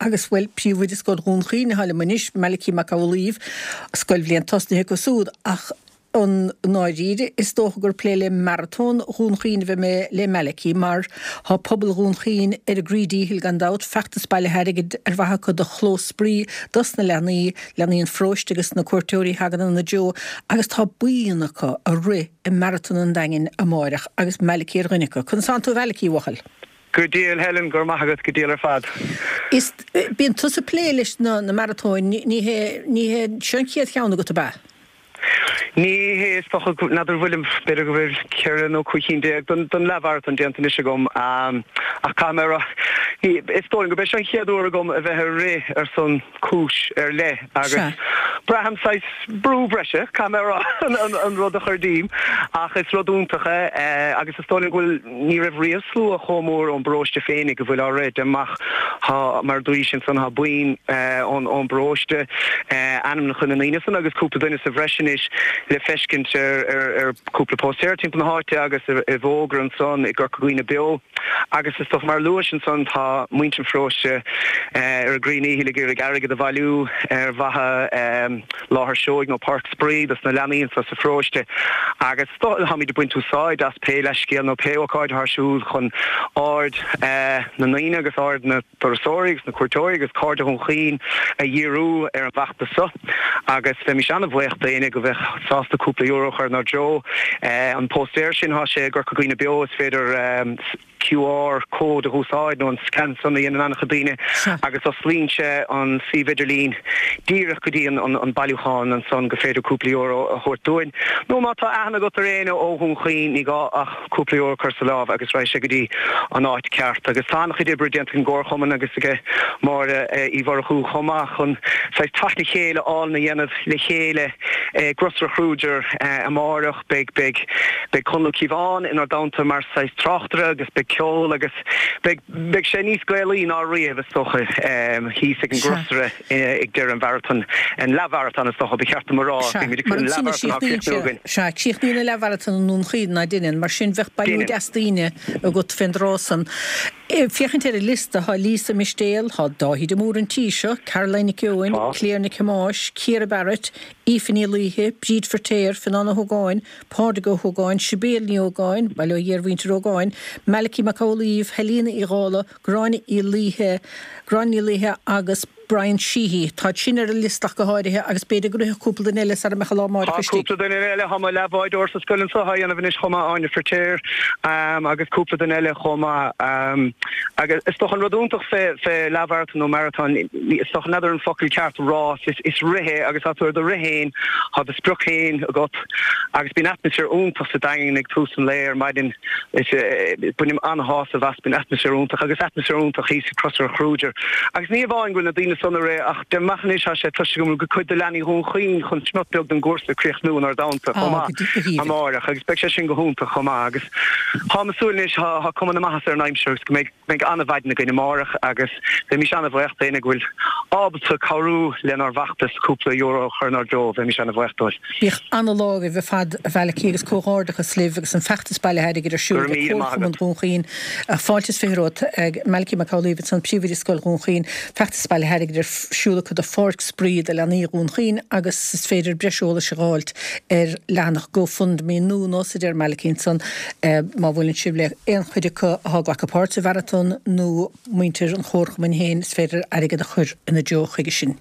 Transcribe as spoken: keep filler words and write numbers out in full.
Agus, bhuel, príomhoide Scoil Dhún Chaoin atá liom anois, Malachy Mac Amhlaoibh, scoilbhliain tosnaithe acu súd, ach i ndáiríre, is dócha gur plé le Maratón Dhún Chaoin a bheidh mé le Malachy, mar tá pobal Dhún Chaoin ar a gcroí díchill gan dabht, feachtas bailithe airgid ar mhaithe acu do chlós spraoi dos na leanaí, leanaí an pharóiste agus na cuairteoirí a thagann ina dtreo, agus tá buíon acu a rith i Maratón an Daingin amáireach, agus Malachy ar dhuine acu. Conas tánn tú a Mhalachy, a bhuachaill? Go diail, Helen, go raibh maith agat, go diail ar fad. Is, bíonn tusa ag plé leis na na maratóin, ní hé, ní hé seo an chéad cheann agat, ab ea? Ní hé, is dócha, n'fheadar an bhfuilim, b'fhéidir go bhfuil ceithre nó cúig chinn déag den den leathmharatón déanta anois agam, ach caithfidh mé a rá, ní, is dóigh liom gurb é seo an chéad uair agam a bheith ag rith ar son cúis ar leith agus braithim saghas brú breise, caithfidh mé a rá, an rud a chur díom, ach is rud iontach é agus is dóigh liom go bhfuil, ní raibh riamh slua chomh mór ón bparóiste féinig a bhfuil á rith, deirim amach, tá, mar a dúraís ansan, tá buíon ón bparóiste, ainmneacha na ndaoine san agus cúpla duine sa bhreis anois le feiscint ar cúpla póstaer timpeall na háite agus i bhfógra ansan i gCorca Dhuibhne Beo. Agus is dócha, mar a luais ansan, tá muintir an pharóiste ar a gcroí ndíchill ag iarraidh airgead a bhailiú ar mhaithe láthair seoigh nó páirc spraoi dos na leanaí anso sa pharóiste. Agus táimid ag baint úsáid as pé leithscéal nó pé ócáid atá ar siúl chun aird na ndaoine agus aird na dturasóirí agus na cuairteoirí agus cairde Dhún Chaoin a dhíriú ar an bhfeachtas so. Agus bheimis an-bhuíoch d'éinne go bheadh sásta cúpla euro a chur inár dtreo. An póstaer sin, thá sé i gCorca Dhuibhne Beo, is féidir QR code a dh'úsáid nó an scan san a dhéanann an-chuid daoine agus osclaíonn sé an suíomh idirlín díreach go dtí an bailiúchán ansan go féidir cúpla euro a thabhairt dúinn. Nó má tá aithne agat ar éinne ó Dhún Chaoin, ní gá ach cúpla euro a chur sa lámh agus raghaidh sé go dtí an áit ceart. Agus tá an-chuid oibre déanta ag an gComharchumann agus ag Máire Uí Mhurchú chomh maith chun saghas teacht le chéile álainn a dhéanamh le chéile i gCrosaire Kruger amáireach. Beidh, beidh, beidh Conall Ó Cíobháin inár dteannta mar saghas tráchtaire agus beidh ceol agus beidh, beidh sé níos Gaelaí ná riamh is dócha thíos ag an gCrosaire. ag deireadh an mharatóin, an leathmharatón is dócha, ba cheart dom a rá, Sea, mar ansan a chríochnaíonn sé, sea, críochnaíonn an leathmharatón i nDún Chaoin, ná deineann, mar sin bheadh bailiú deas daoine agat fén dtráth san. Féachaint ar an liosta, thá Lisa Mistéal, thá Dáithí de Mórdha an tí seo, Caroline Nic Eoin, Claire Nic Thomáis, Ciara Barrett, Aoife Ní Laoithe, Bríd Firtéar, Fionán Ó hÓgáin, Pádraig Ó hÓgáin, Sibéal Ní Ógáin, bail ó Dhia ar mhuintir Ógáin, Malachy Mac Amhlaoibh, Helena Uí Dhálaigh, Gráinne Uí Laoithe, Gráinne Ní Laoithe agus Brian Sheehy. Táid sin ar an liosta ach go háirithe agus b'fhéidir go rithfeadh cúpla duine eile sara mbeadh an lá amárach Tá istigh. cúpla duine eile, tá mo leathbhádóir sa scoil anso á dhéanamh anois chomh maith, Áine Firtéar agus cúpla duine eile chomh maith. Agus is dócha an rud iontach fé fé leathmharatón nó maratón, is dócha n'fheadar an focal ceart, rás, is is rith é agus tá tú ar do rith féin, tá do sprioc féin agat agus bíonn atmaisféar iontach sa Daingean ag tús an lae ar maidin. Is bainim an-shásamh as, bíonn atmaisféar iontach agus atmaisféar iontach thíos ag Crosaire Kruger. Agus ní amháin go bhfuil na daoine san ag rith ach deirim amach anois tá sé cloiste agam go bhfuil cuid de leanaí Dhún Chaoin chun smiot beag den gcúrsa a chríochnú inár dteannta chomh maith amáireach agus beidh sé sin go hiontach chomh maith agus táim ag súil anois tá cuma na maitheasa ar an aimsir agus go mbeidh Beidh an-mhaidin againn amárach agus bheimis an-bhuíoch d'éinne go bhfuil ábalta cabhrú lenár bhfeachtas cúpla euro a chur inár dtreo, bheimis an-bhuíoch dóibh. Bíodh an-lá agaibh ar fad, a Mhalachy, agus comhghairdeachas libh agus an feachtas bailithe airgid ar Go siúl raibh ag míle maith Comharchumann agat. Dhún Chaoin. Fáilte is fiche romhat, Malachy Mac Amhlaoibh ansan, Príomhoide Scoil Dhún Chaoin. Feachtas bailithe airgid ar siúl acu do Pháirc Spraoi do Leanaí Dhún Chaoin agus is féidir breis eolais a dh'fháilt ar leathanach GoFundMe nó nós a deir Malachy ansan. Má bhuaileann sibh le aon chuid acu atá ag glacadh páirt sa mharatón nó muintir an Chomharchumainn féin, is féidir airgead a chur ina dtreo chuige sin.